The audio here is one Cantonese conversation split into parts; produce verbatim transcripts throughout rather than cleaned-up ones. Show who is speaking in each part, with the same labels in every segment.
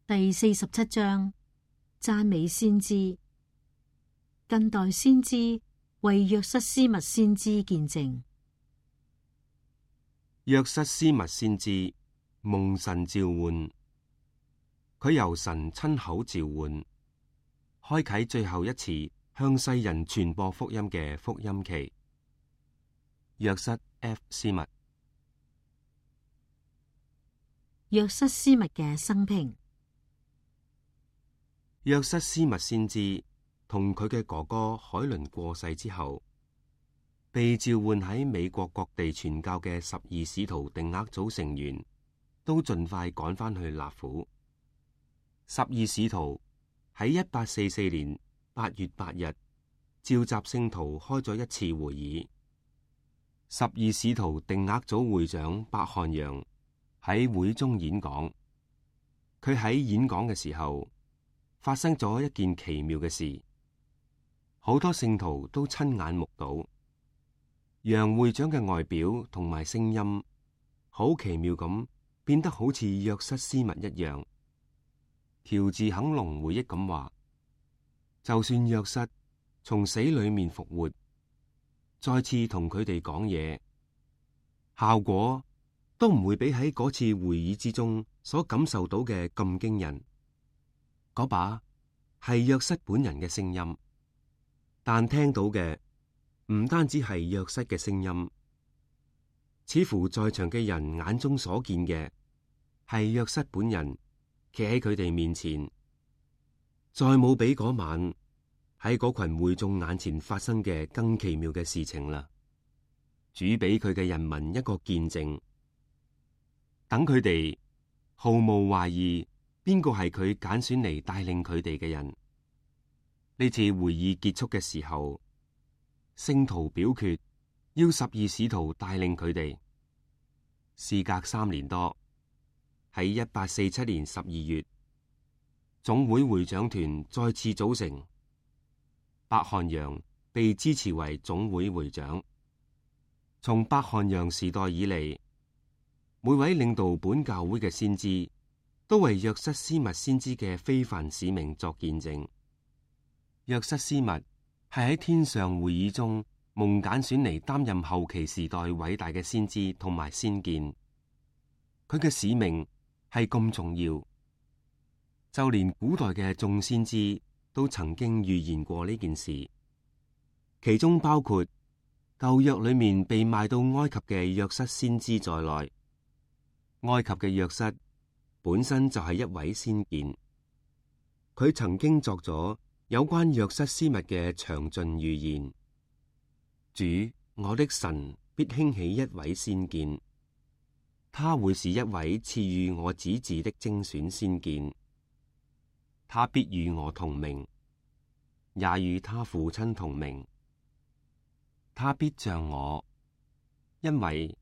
Speaker 1: 第四十七章讚美先知。近代先知為約瑟斯密先知見證。
Speaker 2: 約瑟斯密先知蒙神召喚，佢由神親口召喚，開啟最後一次向世人傳播福音嘅福音期。約瑟 F 斯密。
Speaker 1: 約瑟斯密嘅生平。
Speaker 2: 約瑟斯密先知同佢嘅哥哥海倫過世之後，被召喚喺美國各地傳教嘅十二使徒定額組成員都盡快趕返去納府。十二使徒喺一八四四年八月八日召集聖徒開咗一次會議。十二使徒定額組會長伯漢揚喺會中演講。佢喺演講嘅時候發生咗一件奇妙嘅事，好多聖徒都親眼目睹。楊會長嘅外表同埋聲音好奇妙咁變得好似約瑟斯密一樣。喬治肯隆回憶咁話，就算約瑟從死裏面復活，再次同佢哋講嘢，效果都唔會比喺嗰次會議之中所感受到嘅咁驚人。嗰把係約瑟本人嘅聲音，但聽到嘅唔單止係約瑟嘅聲音，似乎在場嘅人眼中所見嘅係約瑟本人企喺佢哋面前。再冇比嗰晚喺嗰群會眾眼前發生嘅更奇妙嘅事情啦。主俾佢嘅人民一個見證，等佢哋毫無懷疑邊個係佢揀選嚟帶領佢哋嘅人。呢次會議結束嘅時候，聖徒表決要十二使徒帶領佢哋。事隔三年多，喺一八四七年十二月，總會會長團再次組成，伯漢揚被支持為總會會長。從伯漢揚時代以嚟，每位領導本教會嘅先知都為約瑟斯密先知嘅非凡使命作見證。約瑟斯密係喺天上會議中蒙揀選嚟擔任後期時代偉大嘅先知同埋先見。佢嘅使命係咁重要，就連古代嘅眾先知都曾經預言過呢件事，其中包括舊約裏面被賣到埃及嘅約瑟先知在內。埃及嘅約瑟本身就係一位先見，佢曾經作咗有關約瑟斯密嘅詳盡預言。主，我的神必興起一位先見，他會是一位賜予我子嗣的精選先見，他必與我同名，也與他父親同名。他必像我，因為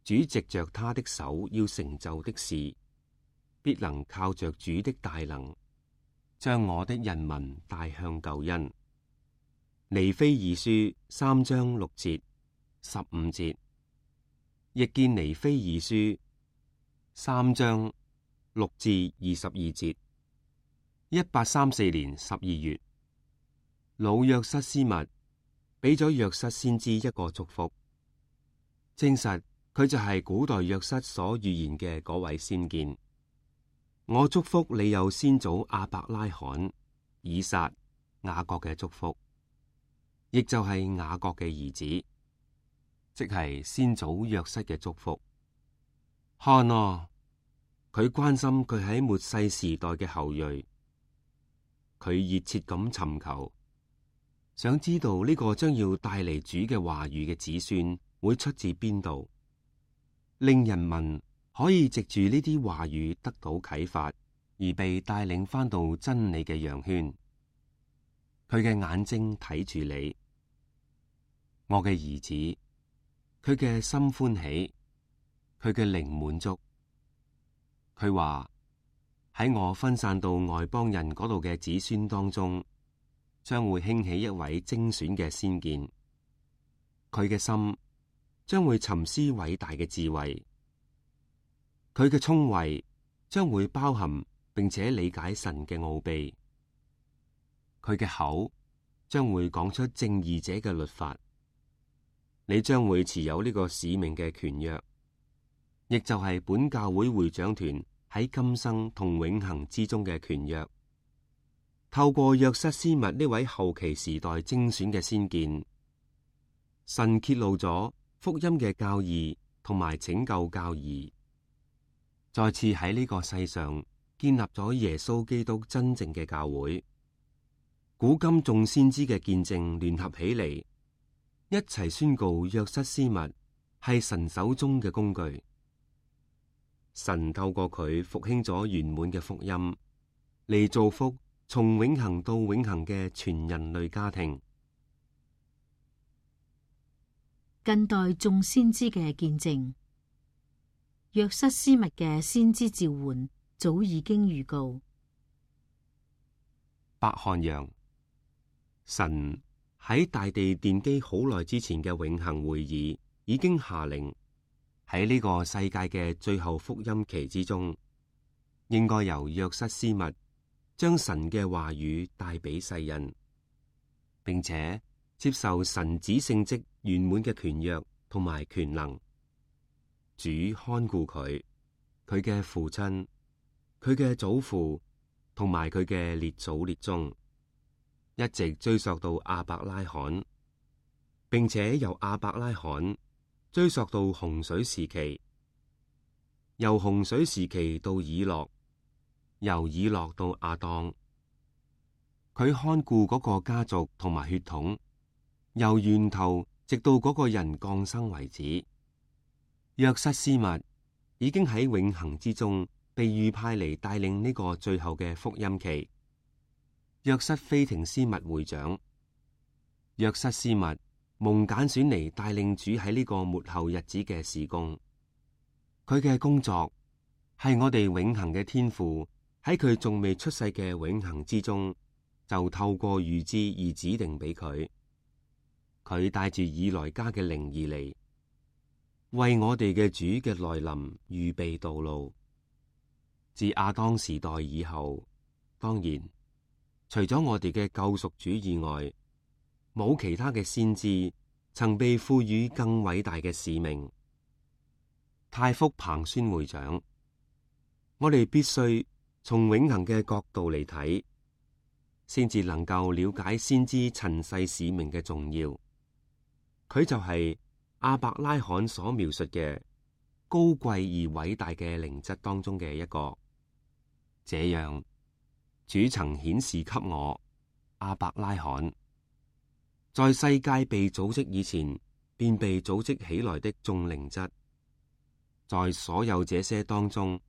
Speaker 2: 主藉着他的手要成就的事，必能靠着主的大能，將我的人民帶向救恩。尼非二書三章六節、十五節，亦見尼非二書三章六至二十二節。一八三四年十二月，老約瑟斯密俾咗約瑟先知一個祝福，證實佢就係古代約瑟所預言嘅嗰位先見。我祝福你有先祖亞伯拉罕、以撒、雅各嘅祝福，亦就係雅各嘅兒子，即係先祖約瑟嘅祝福。看啊，佢關心佢喺末世時代嘅後裔，佢熱切咁尋求，想知道呢個將要帶嚟主嘅話語嘅子孫會出自邊度，令人民可以藉住呢啲話語得到啟發，而被帶領返到真理嘅羊圈。佢嘅眼睛睇住你，我嘅兒子，佢嘅心歡喜，佢嘅靈滿足。佢話喺我分散到外邦人嗰度嘅子孫當中，將會興起一位精選嘅先見。佢嘅心將會沉思偉大嘅智慧，佢嘅聰慧將會包含並且理解神嘅奧秘。佢嘅口將會講出正義者嘅律法。你將會持有呢個使命嘅權約，亦就係本教會會長團喺今生同永恆之中嘅權約。透過約瑟斯密呢位後期時代精選嘅先見，神揭露咗福音嘅教義同埋拯救教義，再次喺呢個世上建立咗耶穌基督真正嘅教會。古今眾先知嘅見證聯合起嚟，一齊宣告約瑟斯密係神手中嘅工具。神透過佢復興咗圓滿嘅福音，嚟造福從永恆到永恆嘅全人類家庭。
Speaker 1: 近代眾先知嘅見證，約瑟斯密嘅先知召喚早已經預告。
Speaker 2: 伯漢陽，神喺大地奠基好耐之前嘅永恆會議已經下令，喺呢個世界嘅最後福音期之中，應該由約瑟斯密將神嘅話語帶俾世人，並且接受神子聖職圓滿嘅權約同埋權能。主看顧佢，佢嘅父親，佢嘅祖父同埋佢嘅列祖列宗，一直追溯到亞伯拉罕，並且由亞伯拉罕追溯到洪水時期，由洪水時期到以諾，由以諾到亞當。佢看顧嗰個家族同埋血統，由源頭直到嗰個人降生為止。約瑟斯密已經喺永恆之中被預派嚟帶領呢個最後嘅福音期。約瑟菲廷斯密會長，約瑟斯密蒙揀選嚟帶領主喺呢個末後日子嘅事工。佢嘅工作係我哋永恆嘅天父喺佢仲未出世嘅永恆之中，就透過預知而指定俾佢。佢帶住以來加嘅靈而嚟，為我哋嘅主嘅來臨預備道路。自亞當時代以後，當然除咗我哋嘅救贖主以外，冇其他嘅先知曾被賦予更偉大嘅使命。太福彭宣會長，我哋必須從永恆嘅角度嚟睇，先至能夠了解先知塵世使命嘅重要。佢就係亞伯拉罕所描述嘅高貴而偉大嘅靈質當中嘅一個。這樣，主曾顯示給我亞伯拉罕在世界被組織以前便被組織起來的眾靈質，在所有這些當中，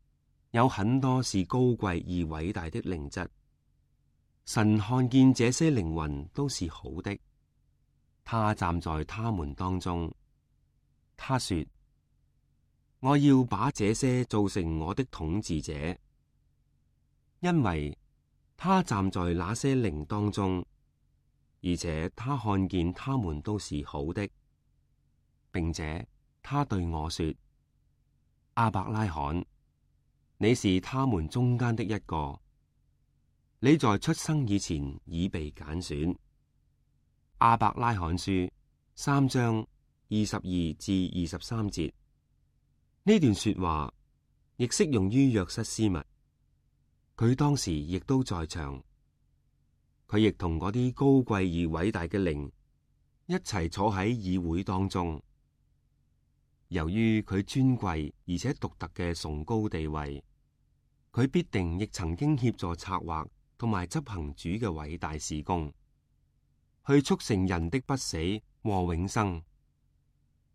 Speaker 2: 有很多是高貴而偉大的靈質。神看見這些靈魂都是好的，他站在他們當中。他說：我要把這些做成我的統治者，因為他站在那些靈當中，而且他看見他們都是好的，並且他對我說：亞伯拉罕，你是他們中間的一個，你在出生以前已被揀選。亞伯拉罕書三章二十二至二十三節，呢段說話亦適用於約瑟斯密，佢當時亦都在場，佢亦同嗰啲高貴而偉大嘅靈一齊坐喺議會當中。由於佢尊貴而且獨特嘅崇高地位，佢必定亦曾經協助策劃同埋執行主嘅偉大事工，去促成人的不死和永生，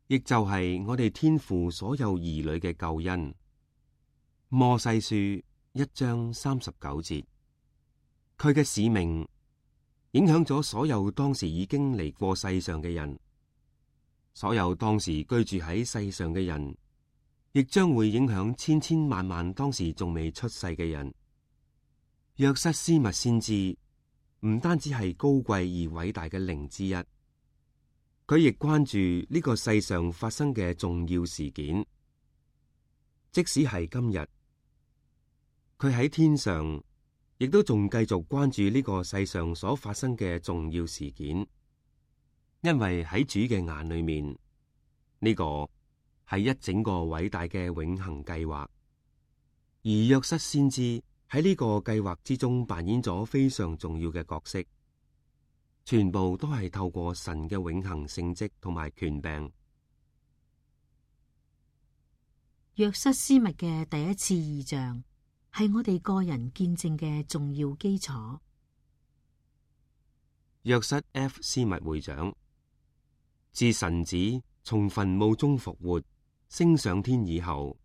Speaker 2: 亦就係我哋天父所有兒女嘅救恩。摩西書一章三十九節，佢嘅使命影響咗所有當時已經嚟過世上嘅人，所有當時居住喺世上嘅人，亦將會影響千千萬萬當時仲未出世嘅人。約瑟斯密先知唔單止係高貴而偉大嘅靈之一，佢亦關注呢個世上發生嘅重要事件。即使係今日，佢喺天上亦都仲繼續關注呢個世上所發生嘅重要事件，因為喺主嘅眼裏面，呢個係一整個偉大嘅永恆計劃。而約瑟先知喺呢個計劃之中扮演咗非常重要嘅角色，全部都係透過神嘅永恆聖職同埋權柄。
Speaker 1: 約瑟斯密嘅第一次異象係我哋個人見證嘅重要基礎。
Speaker 2: 約瑟 F. 斯密會長，自神子從墳墓中復活升上天以後，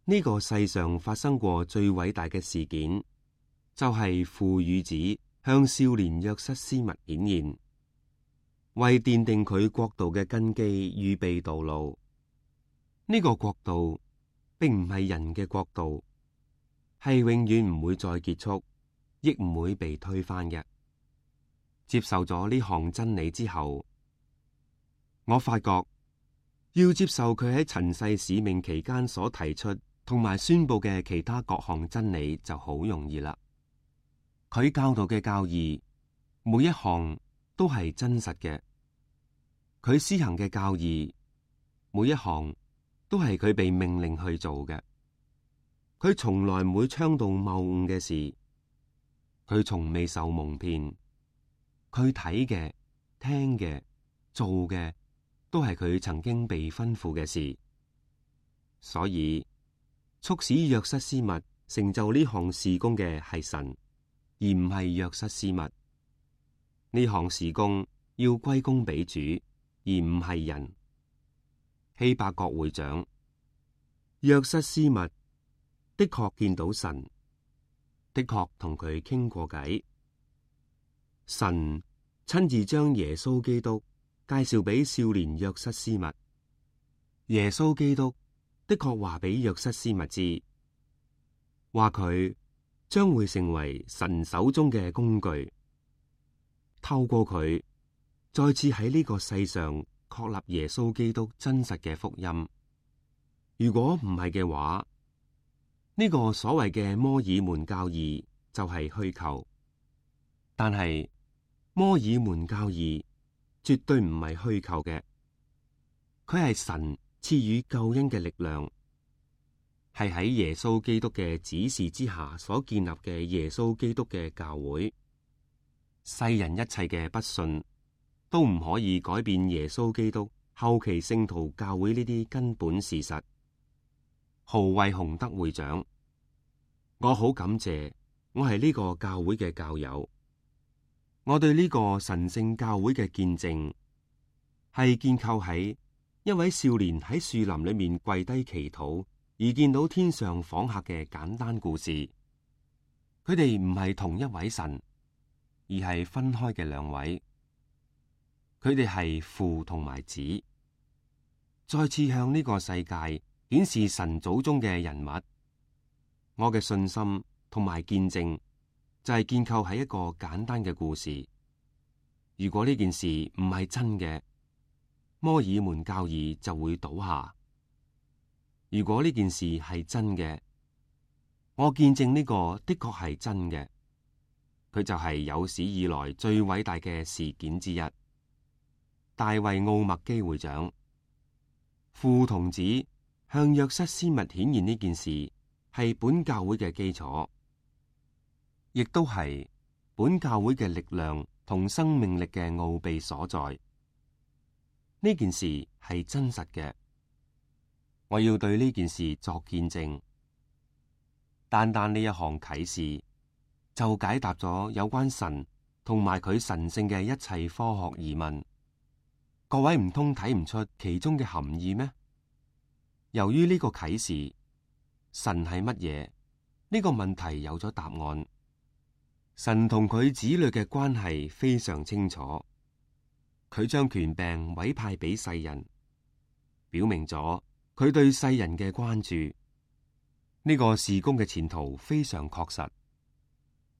Speaker 2: 呢個世上發生過最偉大嘅事件，就係父與子向少年約瑟斯密顯現，為奠定佢國度嘅根基預備道路。呢個國度並唔係人嘅國度，係永遠唔會再結束，亦唔會被推翻嘅。接受咗呢項真理之後，我發覺要接受佢喺塵世使命期間所提出同埋宣布嘅其他各項真理就好容易啦。佢教導嘅教義每一項都係真實嘅，佢施行嘅教義每一項都係佢被命令去做嘅。佢從來唔會倡導謬誤嘅事，佢從未受蒙騙。佢睇嘅、聽嘅、做嘅，都係佢曾經被吩咐嘅事。所以，促使約瑟斯密成就呢項事工嘅係神，而唔係約瑟斯密。呢項事工要歸功俾主，而唔係人。希伯國會長，約瑟斯密的確見到神，的確同佢傾過偈。神親自將耶穌基督介紹俾少年約瑟斯密。耶穌基督的確話俾約瑟斯密知，話佢將會成為神手中嘅工具，透過佢再次喺呢個世上確立耶穌基督真實嘅福音。如果唔係嘅話，呢個所謂嘅摩爾門教義就係虛構。但係摩爾門教義絕對唔係虛構嘅，佢係神賜予救恩嘅力量，係喺耶穌基督嘅指示之下所建立嘅耶穌基督嘅教會。世人一切嘅不信都唔可以改變耶穌基督後期聖徒教會呢啲根本事實。豪惠洪德會長，我好感謝我係呢個教會嘅教友。我對呢個神聖教會嘅見證係建構喺一位少年喺樹林裏面跪低祈禱而見到天上訪客嘅簡單故事。佢哋唔係同一位神，而係分開嘅兩位。佢哋係父同埋子，再次向呢個世界顯示神祖宗嘅人物。我嘅信心同埋見證就係建構喺一個簡單嘅故事。如果呢件事唔係真嘅，摩爾門教義就會倒下。如果呢件事係真嘅，我見證呢個的確係真嘅，佢就係有史以來最偉大嘅事件之一。大衛奧麥基會長，父同子向約瑟斯密顯現呢件事係本教會嘅基礎，亦都係本教會嘅力量同生命力嘅奧秘所在。呢件事係真實嘅，我要對呢件事作見證。單單呢一項啟示就解答咗有關神同埋佢神聖嘅一切科學疑問。各位唔通睇唔出其中嘅含義咩？由於呢個啟示，神係乜嘢？呢個問題有咗答案。神同佢子女嘅關係非常清楚，佢將權柄委派俾世人，表明咗佢對世人嘅關注。呢個事工嘅前途非常確實。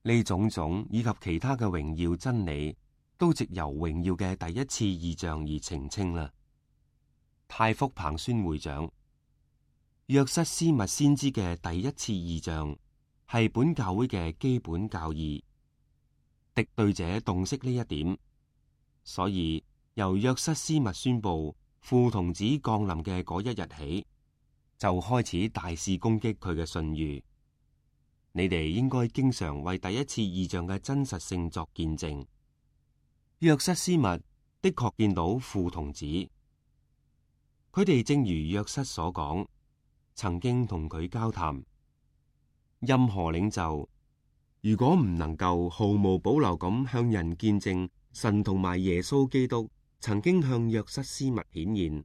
Speaker 2: 呢種種以及其他嘅榮耀真理，都藉由榮耀嘅第一次異象而澄清啦。太福彭宣會長，約瑟斯密先知嘅第一次異象係本教會嘅基本教義，敵對者洞悉呢一點，所以由約瑟斯密宣布父童子降臨嘅嗰一日起，就開始大肆攻擊佢嘅信譽。你哋應該經常為第一次異象嘅真實性作見證。約瑟斯密的確見到父童子，佢哋正如約瑟所講，曾經同佢交談。任何領袖如果唔能夠毫無保留咁向人見證神同埋耶穌基督曾經向約瑟斯密顯現，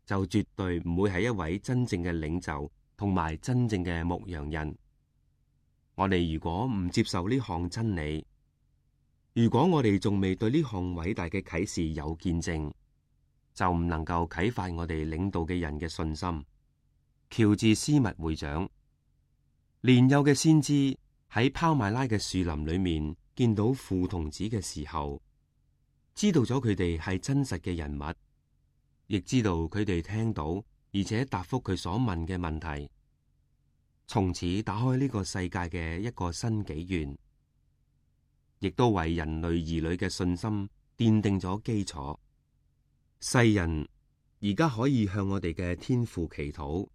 Speaker 2: 就絕對唔會係一位真正嘅領袖同埋真正嘅牧羊人。我哋如果唔接受呢項真理，如果我哋仲未對呢項偉大嘅啟示有見證，就唔能夠啟發我哋領導嘅人嘅信心。喬治斯密會長，年幼嘅先知喺拋麥拉嘅樹林裏面見到父童子嘅時候，知道咗佢哋係真實嘅人物，亦知道佢哋聽到而且答覆佢所問嘅問題，從此打開呢個世界嘅一個新紀元，亦都為人類兒女嘅信心奠定咗基礎。世人而家可以向我哋嘅天父祈禱，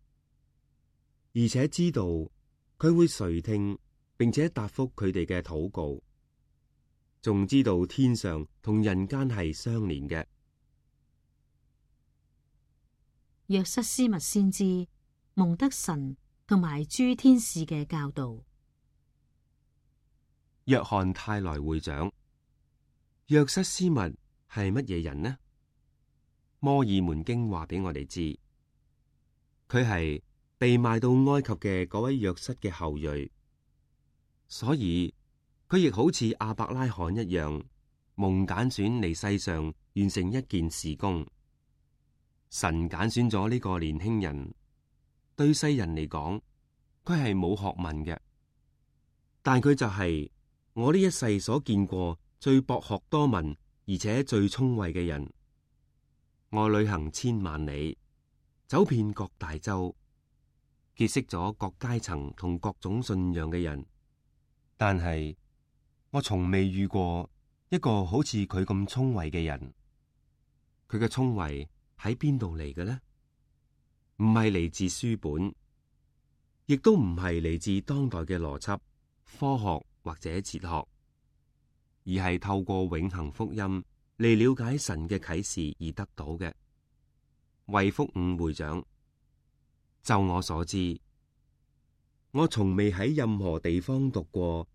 Speaker 2: 而且知道佢會垂聽並且答覆佢哋嘅禱告，仲知道天上同人間係相連嘅。
Speaker 1: 約瑟斯密先知蒙得神同埋諸天使嘅教導。
Speaker 2: 約翰泰來會長，約瑟斯密係乜嘢人呢？摩爾門經話俾我哋知，佢係被賣到埃及嘅嗰位約瑟嘅後裔，所以佢亦好似亞伯拉罕一樣，蒙揀選嚟世上完成一件事工。神揀選咗呢個年輕人，對世人嚟講，佢係冇學問嘅，但佢就係我呢一世所見過最博學多聞而且最聰慧嘅人。我旅行千萬里，走遍各大洲，結識咗各階層同各種信仰嘅人，但係我從未遇過一個好似佢咁聰慧嘅人。佢嘅聰慧喺邊度嚟嘅呢？唔係嚟自書本，亦都唔係嚟自當代嘅邏輯、科學或者哲學，而係透過永恆福音嚟了解神嘅啟示而得到嘅。衛福五會長，就我所知，我從未喺任何地方讀過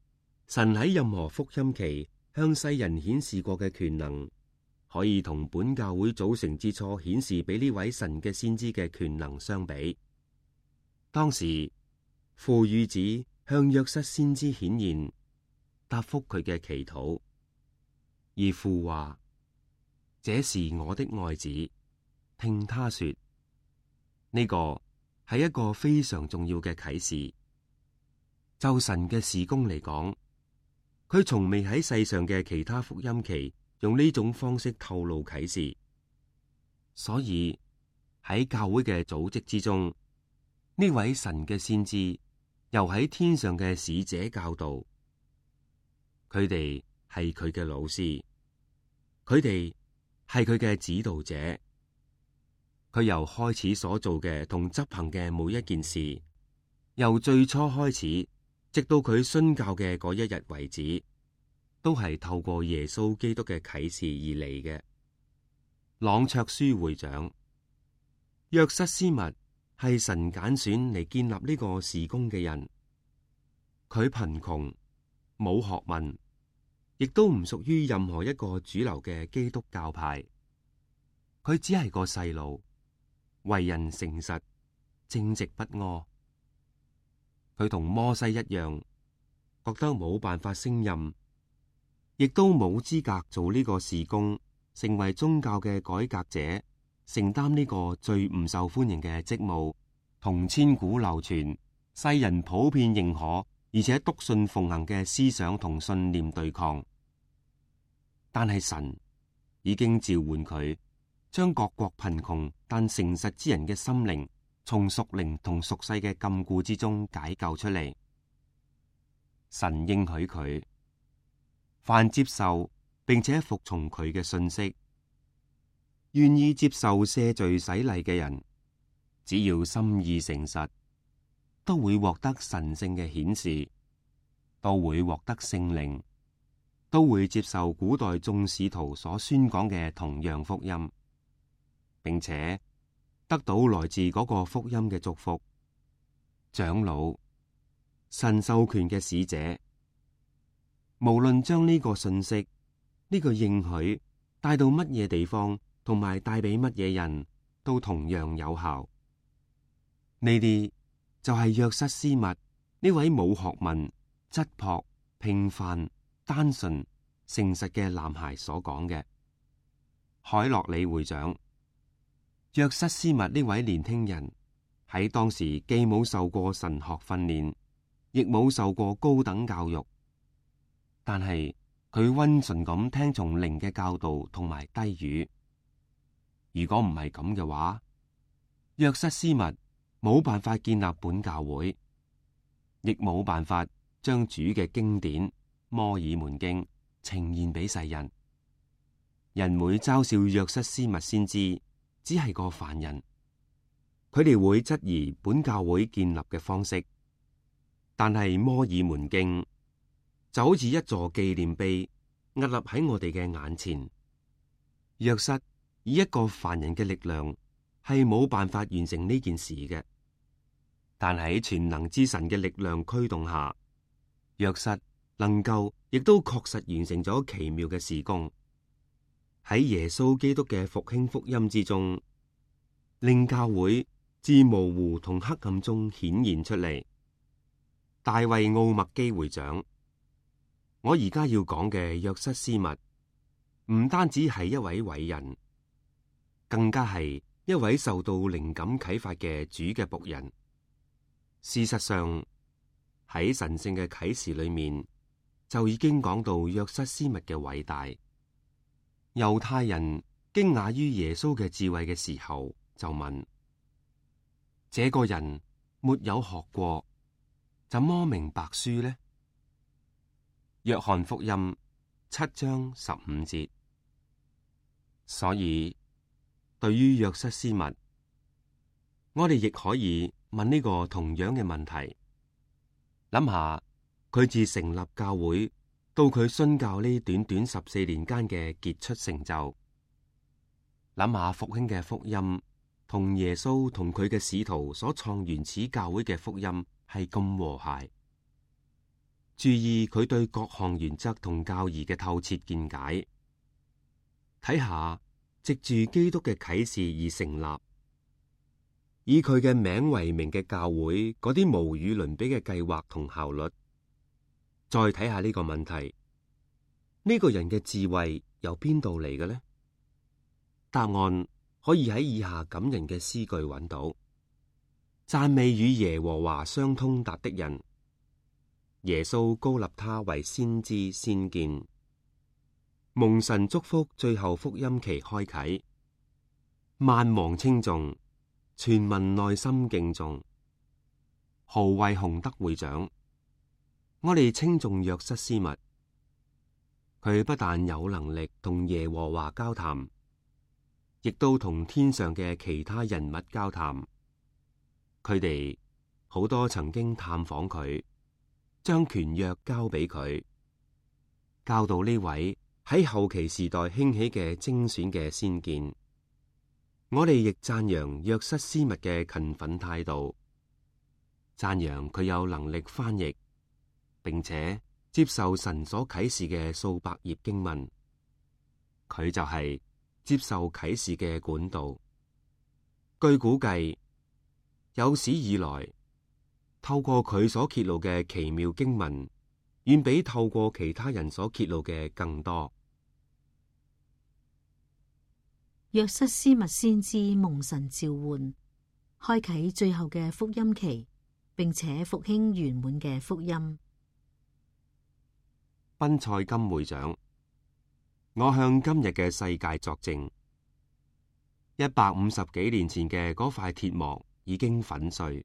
Speaker 2: 神喺任何福音期向世人顯示過嘅權能，可以同本教會組成之初顯示俾呢位神嘅先知嘅權能相比。當時父與子向約瑟先知顯現，答覆佢嘅祈禱，而父話：這是我的愛子，聽他說。呢個係一個非常重要嘅啟示。就神嘅事工嚟講，佢從未喺世上嘅其他福音期用呢種方式透露啟示，所以喺教會嘅組織之中，呢位神嘅先知由喺天上嘅使者教導，佢哋係佢嘅老師，佢哋係佢嘅指導者。佢由開始所做嘅同執行嘅每一件事，由最初開始直到佢殉教嘅嗰一日為止，都係透過耶穌基督嘅啟示而嚟嘅。朗卓書會長，約瑟斯密係神揀選嚟建立呢個事工嘅人。佢貧窮，冇學問，亦都唔屬於任何一個主流嘅基督教派。佢只係個細路，為人誠實，正直不阿。佢同摩西一樣，覺得冇辦法勝任，亦都冇資格做呢個事工，成為宗教嘅改革者，承擔呢個最唔受歡迎嘅職務，同千古流傳、世人普遍認可而且篤信奉行嘅思想同信念對抗。但係神已經召喚佢，將各國貧窮但誠實之人嘅心靈從屬靈同屬世嘅禁錮之中解救出嚟。神應許佢，凡接受並且服從佢嘅信息，願意接受赦罪洗禮嘅人，只要心意誠實，都會獲得神聖嘅顯示，都會獲得聖靈，都會接受古代眾使徒所宣講嘅同樣福音，並且得到來自嗰個福音嘅祝福。長老、神授權嘅使者，無論將呢個信息、呢個應許帶到乜嘢地方，同埋帶俾乜嘢人，都同樣有效。呢啲就係約瑟斯密呢位冇學問、質樸、平凡、單純、誠實嘅男孩所講嘅。海洛里會長，約瑟斯密呢位年輕人喺當時既冇受過神學訓練，亦冇受過高等教育，但係佢溫順咁聽從靈嘅教導同埋低語。如果唔係咁嘅話，約瑟斯密冇辦法建立本教會，亦冇辦法將主嘅經典《摩爾門經》呈現俾世人。人會嘲笑約瑟斯密先知只係個凡人，佢哋會質疑本教會建立嘅方式。但係《摩爾門經》就好似一座紀念碑，屹立喺我哋嘅眼前。約瑟以一個凡人嘅力量係冇辦法完成呢件事嘅，但喺全能之神嘅力量驅動下，約瑟能夠亦都確實完成咗奇妙嘅事工。喺耶穌基督嘅復興福音之中，令教會自模糊同黑暗中顯現出嚟。大衛奧麥基會長，我而家要講嘅約瑟斯密，唔單止係一位偉人，更加係一位受到靈感啟發嘅主嘅僕人。事實上，喺神聖嘅啟示裏面，就已經講到約瑟斯密嘅偉大。猶太人驚訝於耶穌嘅智慧嘅時候，就問：這個人沒有學過，怎麼明白書呢？約翰福音七章十五節。所以，對於約瑟斯密，我哋亦可以問呢個同樣嘅問題。諗下佢自成立教會到佢殉教呢短短十四年間嘅傑出成就，諗下復興嘅福音同耶穌同佢嘅使徒所創原始教會嘅福音係咁和諧。注意佢對各項原則同教義嘅透徹見解，睇下藉住基督嘅啟示而成立，以佢嘅名為名嘅教會嗰啲無與倫比嘅計劃同效率。再睇下呢個問題，呢個人嘅智慧由邊度嚟嘅呢？答案可以喺以下感人嘅詩句揾到：讚美與耶和華相通達的人，耶穌高立他為先知先見，蒙神祝福，最後福音期開啟，萬王稱頌，全民內心敬重。何謂洪德會長？我哋稱頌約瑟斯密，佢不但有能力同耶和華交談，亦都同天上嘅其他人物交談。佢哋好多曾經探訪佢，將權約交俾佢，教導呢位喺後期時代興起嘅精選嘅先見。我哋亦讚揚約瑟斯密嘅勤奮態度，讚揚佢有能力翻譯，並且接受神所啟示嘅數百頁經文。佢就係接受啟示嘅管道。據估計，有史以來透過佢所揭露嘅奇妙經文，遠比透過其他人所揭露嘅更多。
Speaker 1: 約瑟斯密先知蒙神召喚，開啟最後嘅福音期，並且復興圓滿嘅福音。
Speaker 2: 賓塞金會長，我向今日嘅世界作證，一百五十幾年前嘅嗰塊鐵幕已經粉碎，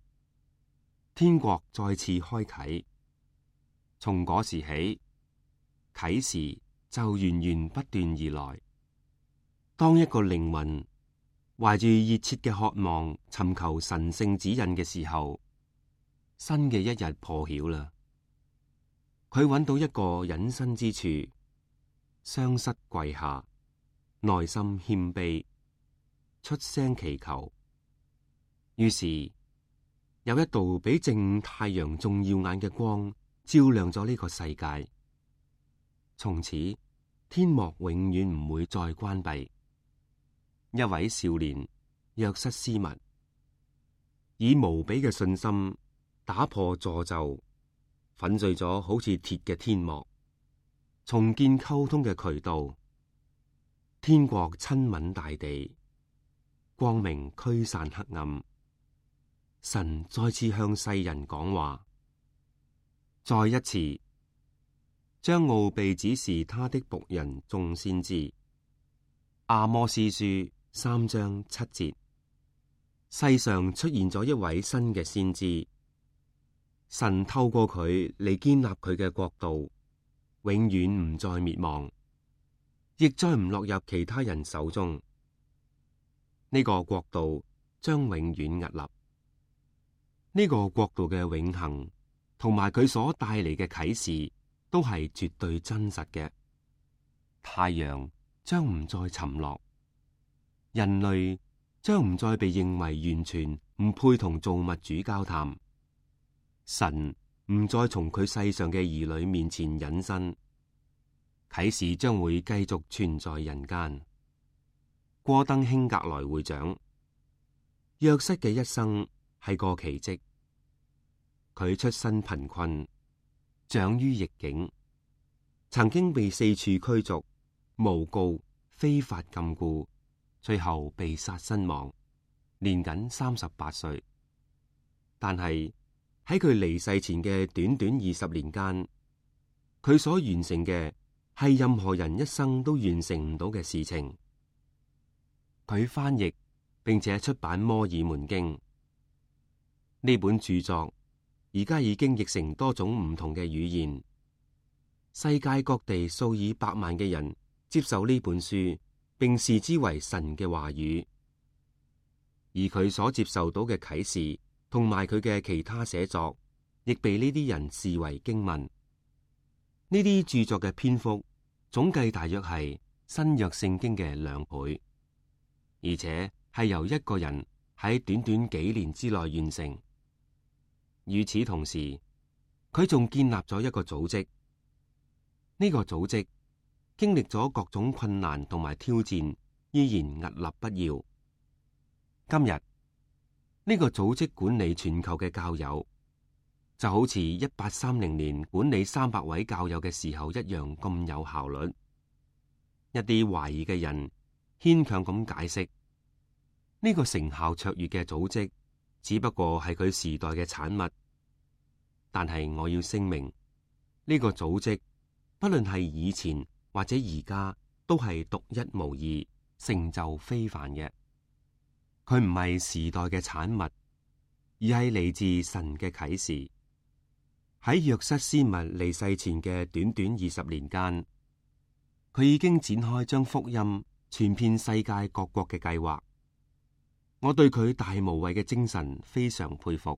Speaker 2: 天國再次開啟。從嗰時起，啟示就源源不斷而來。當一個靈魂懷住熱切嘅渴望尋求神聖指引嘅時候，新嘅一日破曉啦。佢揾到一個隱身之處，雙膝跪下，內心謙卑，出聲祈求。於是有一道比正午太陽仲耀眼嘅光照亮咗呢個世界。從此天幕永遠唔會再關閉。一位少年約瑟斯密以無比嘅信心打破詛咒，粉碎咗好似鐵嘅天幕，重建溝通嘅渠道。天國親吻大地，光明驅散黑暗。神再次向世人講話，再一次將奧秘指示他的僕人眾先知。阿摩司書三章七節，世上出現咗一位新嘅先知，神透過佢嚟建立佢嘅國度，永遠唔再滅亡，亦再唔落入其他人手中。呢個國度將永遠屹立。呢個國度嘅永恆同埋佢所帶嚟嘅啟示都係絕對真實嘅。太陽將唔再沉落，人類將唔再被認為完全唔配同造物主交談，神唔再從佢世上嘅兒女面前隱身，啟示將會繼續存在人間。戈登興格萊會長，約瑟嘅一生係個奇蹟。佢出身貧困，長於逆境，曾經被四處驅逐、誣告、非法禁錮，最後被殺身亡，年僅三十八歲。但係喺佢離世前嘅短短二十年間，佢所完成嘅係任何人一生都完成唔到嘅事情。佢翻譯並且出版《摩爾門經》呢本著作。而家已經譯成多種唔同嘅語言，世界各地數以百萬嘅人接受呢本書，並視之為神嘅話語。而佢所接受到嘅啟示同埋佢嘅其他寫作，亦被呢啲人視為經文。呢啲著作嘅篇幅總計大約係新約聖經嘅兩倍，而且係由一個人喺短短幾年之內完成。與此同時，佢仲建立咗一個組織。呢個組織經歷咗各種困難同埋挑戰，依然屹立不搖。今日呢個組織管理全球嘅教友，就好似一八三零年管理三百位教友嘅時候一樣咁有效率。一啲懷疑嘅人牽強咁解釋，呢個成效卓越嘅組織只不過係佢時代嘅產物，但係我要聲明，呢個組織不論係以前或者而家，都係獨一無二、成就非凡嘅。佢唔係時代嘅產物，而係嚟自神嘅啟示。喺約瑟斯密離世前嘅短短二十年間，佢已經展開將福音傳遍世界各國嘅計劃。我對佢大無畏嘅精神非常佩服。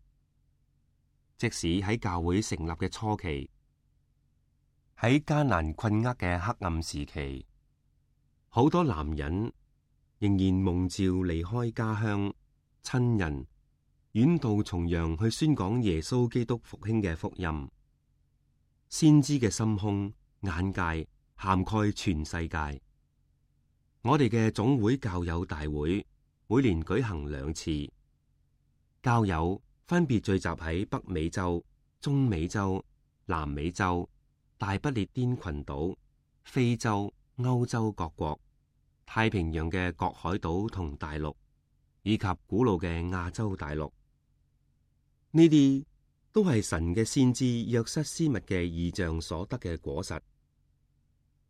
Speaker 2: 即使喺教會成立嘅初期，喺艱難困厄嘅黑暗時期，好多男人仍然蒙召離開家鄉、親人，遠渡重洋去宣講耶穌基督復興嘅福音。先知嘅心胸眼界涵蓋全世界。我哋嘅總會教友大會每年舉行兩次，教友分別聚集喺北美洲、中美洲、南美洲、大不列顛群島、非洲、歐洲各國、太平洋嘅各海島同大陸，以及古老嘅亞洲大陸。呢啲都係神嘅先知約瑟斯密嘅異象所得嘅果實。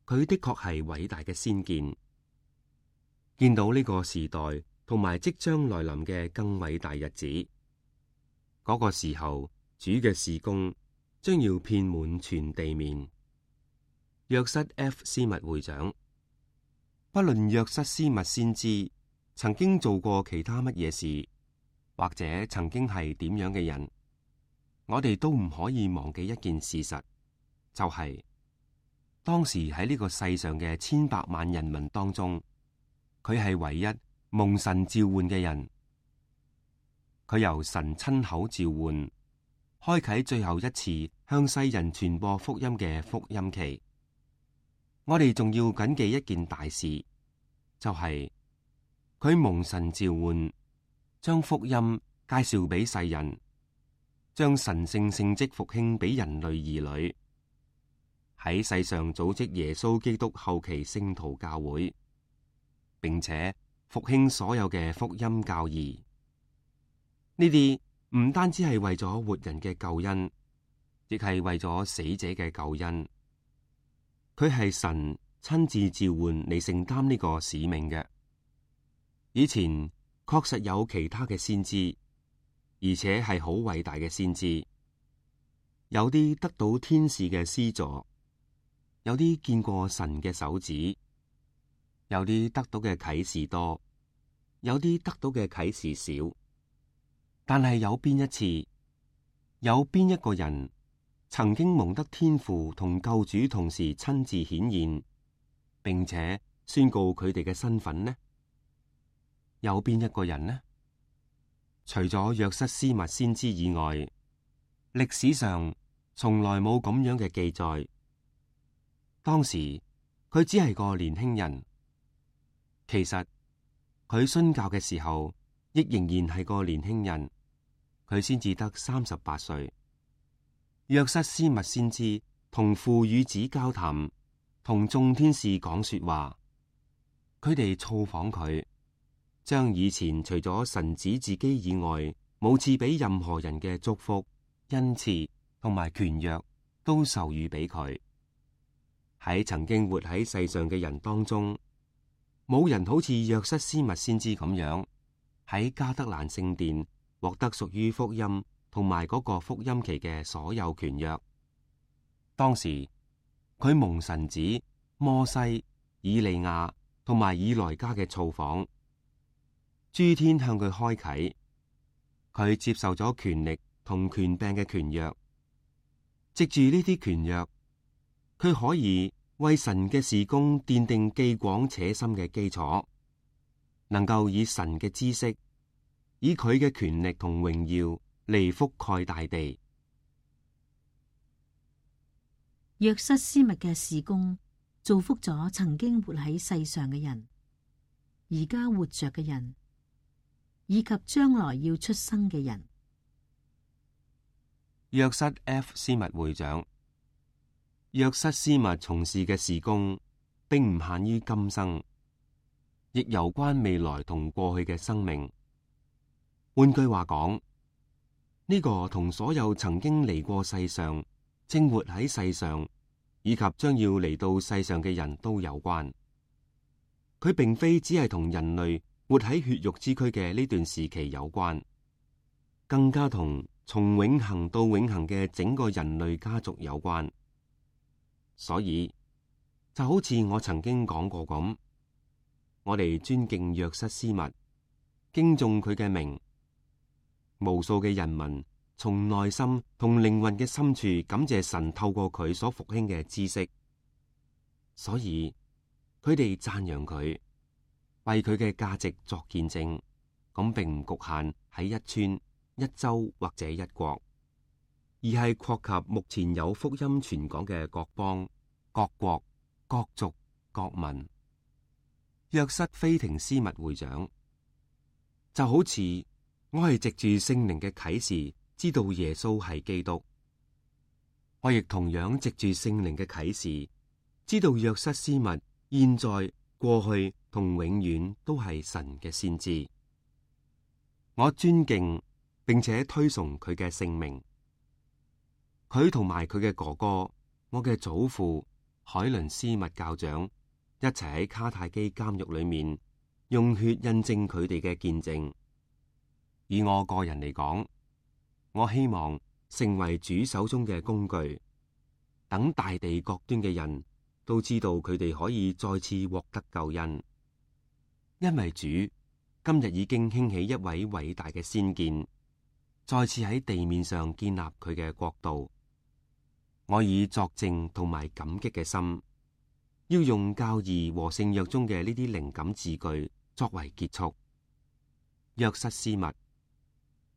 Speaker 2: 佢的確係偉大嘅先見，見到呢個時代同埋即將來臨嘅更偉大日子。嗰個時候，主嘅事工將要遍滿全地面。約瑟 F 斯密會長，不論約瑟斯密先知曾經做過其他乜嘢事，或者曾經係點樣嘅人，我哋都唔可以忘記一件事實，就係、是、當時喺呢個世上嘅千百萬人民當中，佢係唯一蒙神召喚嘅人。佢由神親口召喚，開啟最後一次向世人傳播福音嘅福音期。我哋仲要謹記一件大事，就係、是、佢蒙神召喚，將福音介紹俾世人，將神聖聖職復興俾人類兒女，喺世上組織耶穌基督後期聖徒教會，並且復興所有嘅福音教義。呢啲唔單止係為咗活人嘅救恩，亦係為咗死者嘅救恩。佢係神親自召喚嚟承擔呢個使命嘅。以前確實有其他嘅先知，而且係好偉大嘅先知，有啲得到天使嘅施助，有啲見過神嘅手指，有啲得到嘅啟示多，有啲得到嘅啟示少。但係有邊一次，有邊一個人曾經蒙得天父同救主同時親自顯現，並且宣告佢哋嘅身份呢？有邊一個人呢？除咗約瑟斯密先知以外，歷史上從來冇咁樣嘅記載。當時佢只係個年輕人，其實佢殉教嘅時候，亦仍然係個年輕人。佢先至得三十八歲。約瑟斯密先知同父與子交談，同眾天使講說話。佢哋造訪佢，將以前除咗神子自己以外冇賜俾任何人嘅祝福、恩賜同埋權約，都授予俾佢。喺曾經活喺世上嘅人當中，冇人好似約瑟斯密先知咁樣喺加德蘭聖殿獲得屬於福音同埋嗰個福音期嘅所有權約。當時佢蒙神子摩西、以利亞同埋以萊加嘅造訪，諸天向佢開啟，佢接受咗權力同權柄嘅權約。藉住呢啲權約，佢可以為神嘅事工奠定既廣且深嘅基礎，能夠以神嘅知識，以佢嘅權力同榮耀嚟覆蓋大地。
Speaker 1: 約瑟斯密嘅事工造福咗曾經活喺世上嘅人，而家活着嘅人，以及將來要出生嘅人。
Speaker 2: 約瑟 F 斯密會長，約瑟斯密從事嘅事工，並唔限於今生，亦有關未來同過去嘅生命。換句話講，呢個同所有曾經嚟過世上、正活喺世上以及將要嚟到世上嘅人都有關。佢並非只係同人類活喺血肉之軀嘅呢段時期有關，更加同從永恆到永恆嘅整個人類家族有關。所以就好似我曾經講過咁，我哋尊敬約瑟斯密，敬重佢嘅名。無數嘅人民從內心同靈魂嘅深處感謝神透過佢所復興嘅知識，所以佢哋讚揚佢，為佢嘅價值作見證。咁並唔局限喺一村、一州或者一國，而係擴及目前有福音傳講嘅各邦、各國、各族、各民。約瑟菲廷斯密會長就好似我係藉住聖靈嘅啟示知道耶穌係基督，我亦同樣藉住聖靈嘅啟示知道約瑟斯密現在、過去同永遠都係神嘅先知。我尊敬並且推崇佢嘅性命。佢同埋佢嘅哥哥，我嘅祖父海倫斯密教長一齊喺卡泰基監獄裏面用血印證佢哋嘅見證。以我個人嚟講，我希望成為主手中嘅工具，等大地各端嘅人都知道佢哋可以再次獲得救恩，因為主今日已經興起一位偉大嘅先見，再次喺地面上建立佢嘅國度。我以作證同埋感激嘅心，要用教義和聖約中嘅呢啲靈感字句作為結束。約瑟斯密，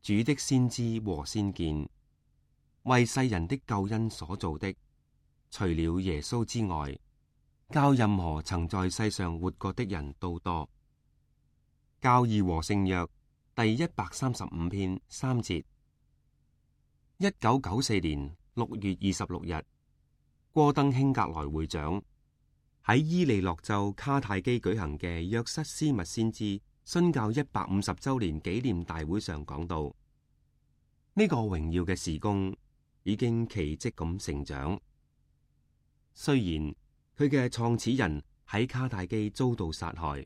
Speaker 2: 主的先知和先見，為世人的救恩所做的，除了耶穌之外，較任何曾在世上活過的人都多。教義和聖約第一百三十五篇三節。一九九四年六月二十六日，戈登興格萊會長喺伊利諾州卡泰基舉行嘅約瑟斯密先知殉教一百五十周年紀念大會上講到，呢、這個榮耀嘅事工已經奇蹟咁成長。雖然佢嘅創始人喺卡泰基遭到殺害，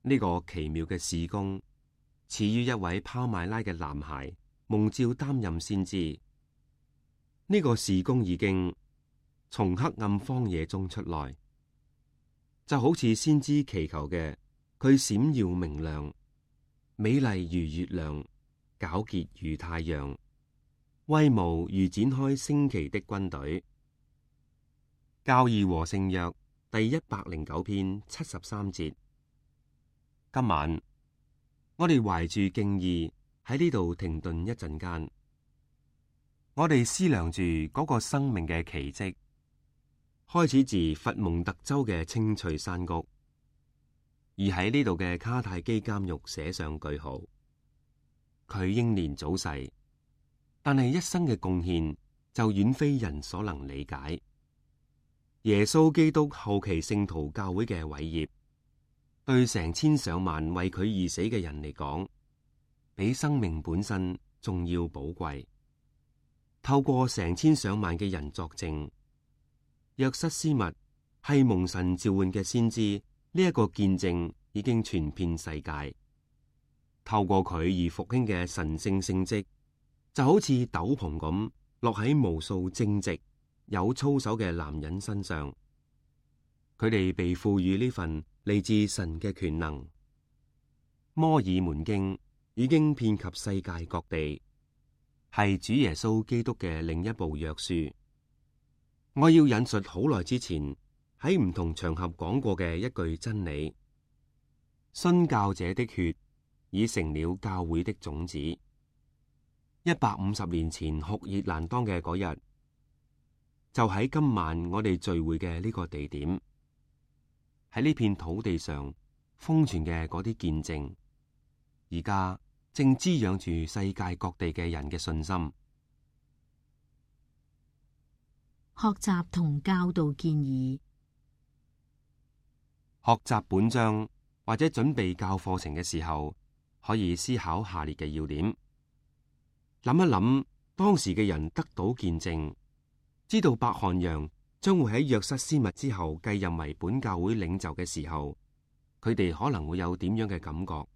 Speaker 2: 呢、這個奇妙嘅事工始於一位跑馬拉嘅男孩蒙召擔任先知。呢、這個事工已經從黑暗荒野中出來，就好似先知祈求嘅，佢閃耀明亮，美麗如月亮，皎潔如太陽，威武如展開升旗的軍隊。教義和聖約第一百零九篇七十三節。今晚我哋懷住敬意喺呢度停頓一陣間，我哋思量住嗰個生命嘅奇蹟，開始自佛蒙特州嘅青翠山谷，而喺呢度嘅卡泰基監獄寫上句號。佢英年早逝，但係一生嘅貢獻就遠非人所能理解。耶穌基督後期聖徒教會嘅偉業，對成千上萬為佢而死嘅人嚟講，比生命本身仲要寶貴。透過成千上萬嘅人作證，約瑟斯密係蒙神召喚嘅先知，呢一個見證已經傳遍世界。透過佢而復興嘅神聖聖蹟，就好似斗篷咁落喺無數正直有操守嘅男人身上。佢哋被賦予呢份嚟自神嘅權能。摩爾門經已經遍及世界各地，係主耶穌基督嘅另一部約書。我要引述好耐之前喺唔同場合講過嘅一句真理：殉教者的血已成了教會的種子。一百五十年前酷熱難當嘅嗰日，就喺今晚我哋聚會嘅呢個地點，喺呢片土地上封存嘅嗰啲見證，而家正滋養住世界各地嘅人嘅信心。
Speaker 1: 學習同教導建議。
Speaker 2: 學習本章或者準備教課程嘅時候，可以思考下列嘅要點。諗一諗當時嘅人得到見證，知道伯翰楊將會喺約瑟斯密之後繼任為本教會領袖嘅時候，佢哋可能會有點樣嘅感覺。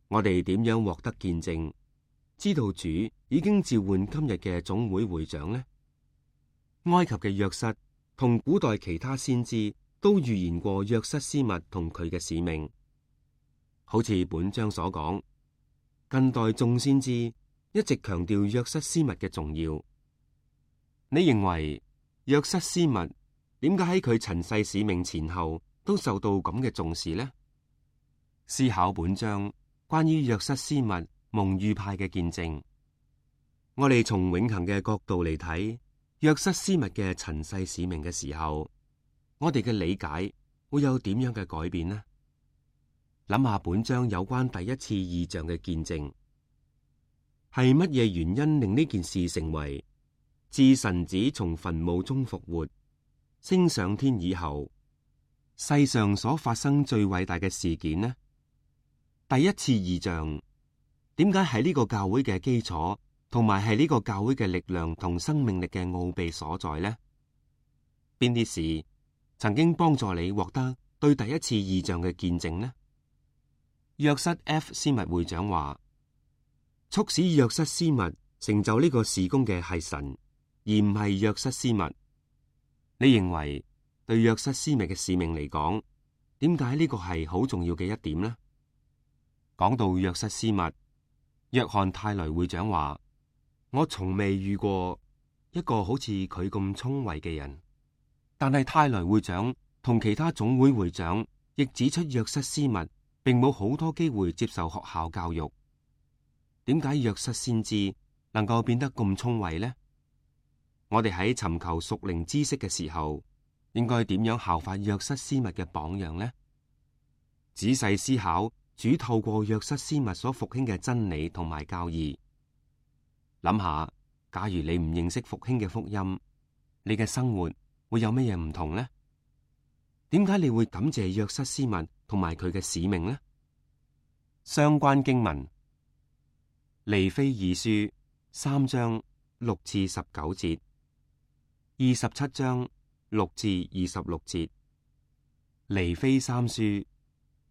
Speaker 2: 我哋點樣獲得見證，知道主已經召喚今日嘅總會會長呢？埃及嘅約瑟同古代其他先知都預言過約瑟斯密同佢嘅使命。好似本章所講，近代眾先知一直強調約瑟斯密嘅重要。你認為約瑟斯密點解喺佢塵世使命前後都受到咁嘅重視呢？思考本章關於約瑟斯密蒙預派嘅見證，我哋從永恆嘅角度嚟睇約瑟斯密嘅塵世使命嘅時候，我哋嘅理解會有點樣嘅改變呢？諗下本章有關第一次異象嘅見證，係乜嘢原因令呢件事成為自神子從墳墓中復活、升上天以後，世上所發生最偉大嘅事件呢？第一次異象點解係呢個教會嘅基礎，同埋係呢個教會嘅力量同生命力嘅奧秘所在呢？邊啲事曾經幫助你獲得對第一次異象嘅見證呢？約瑟 F 斯密會長話，促使約瑟斯密成就呢個事工嘅係神，而唔係約瑟斯密。你認為對約瑟斯密嘅使命嚟講，點解呢個係好重要嘅一點呢？講到約瑟斯密，約翰泰雷會長話，我從未遇過一個好似佢咁聰慧嘅人。但係泰雷會長同其他總會會長亦指出，約瑟斯密並冇好多機會接受學校教育。點解約瑟先知能夠變得咁聰慧呢？我哋喺尋求屬靈知識嘅時候，應該點樣效法約瑟斯密嘅榜樣呢？仔細思考主透過約瑟斯密所復興嘅真理同埋教義。諗下，假如你唔認識復興嘅福音，你嘅生活會有乜嘢唔同呢？點解你會感謝約瑟斯密同埋佢嘅使命呢？相關經文：尼非二書三章六至十九節，二十七章六至二十六節，尼非三書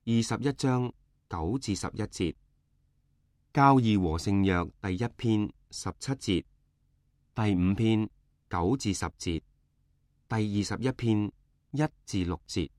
Speaker 2: 二十一章九至十一節，教義和聖約第一篇十七節，第五篇九至十節，第二十一篇一至六節。